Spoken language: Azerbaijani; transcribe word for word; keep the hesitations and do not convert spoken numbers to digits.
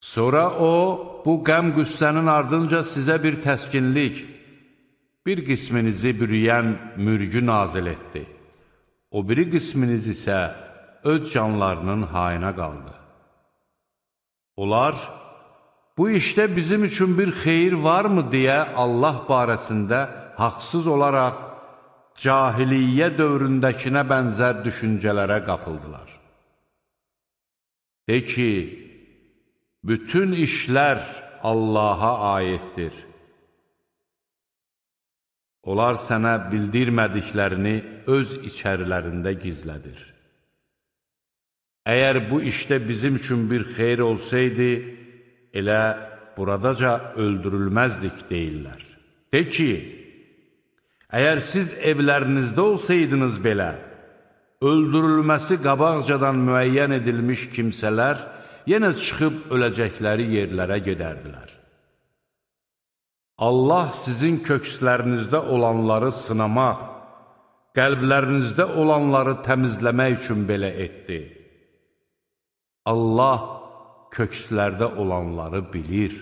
Sonra o, bu qəm-qüssənin ardınca sizə bir təskinlik, bir qisminizi bürüyən mürgü nazil etdi. O biri qisminiz isə öz canlarının hayına qaldı. Onlar, bu işdə bizim üçün bir xeyir varmı deyə Allah barəsində haqsız olaraq cahiliyyə dövründəkinə bənzər düşüncələrə qapıldılar. De ki, bütün işlər Allaha aiddir. Onlar sənə bildirmədiklərini öz içərilərində gizlədir. Əgər bu işdə bizim üçün bir xeyir olsaydı, elə buradaca öldürülməzdik deyirlər. De ki, əgər siz evlərinizdə olsaydınız belə, öldürülməsi qabaqcadan müəyyən edilmiş kimsələr yenə çıxıb öləcəkləri yerlərə gedərdilər. Allah sizin kökslərinizdə olanları sınamaq, qəlblərinizdə olanları təmizləmək üçün belə etdi. Allah kökslərdə olanları bilir.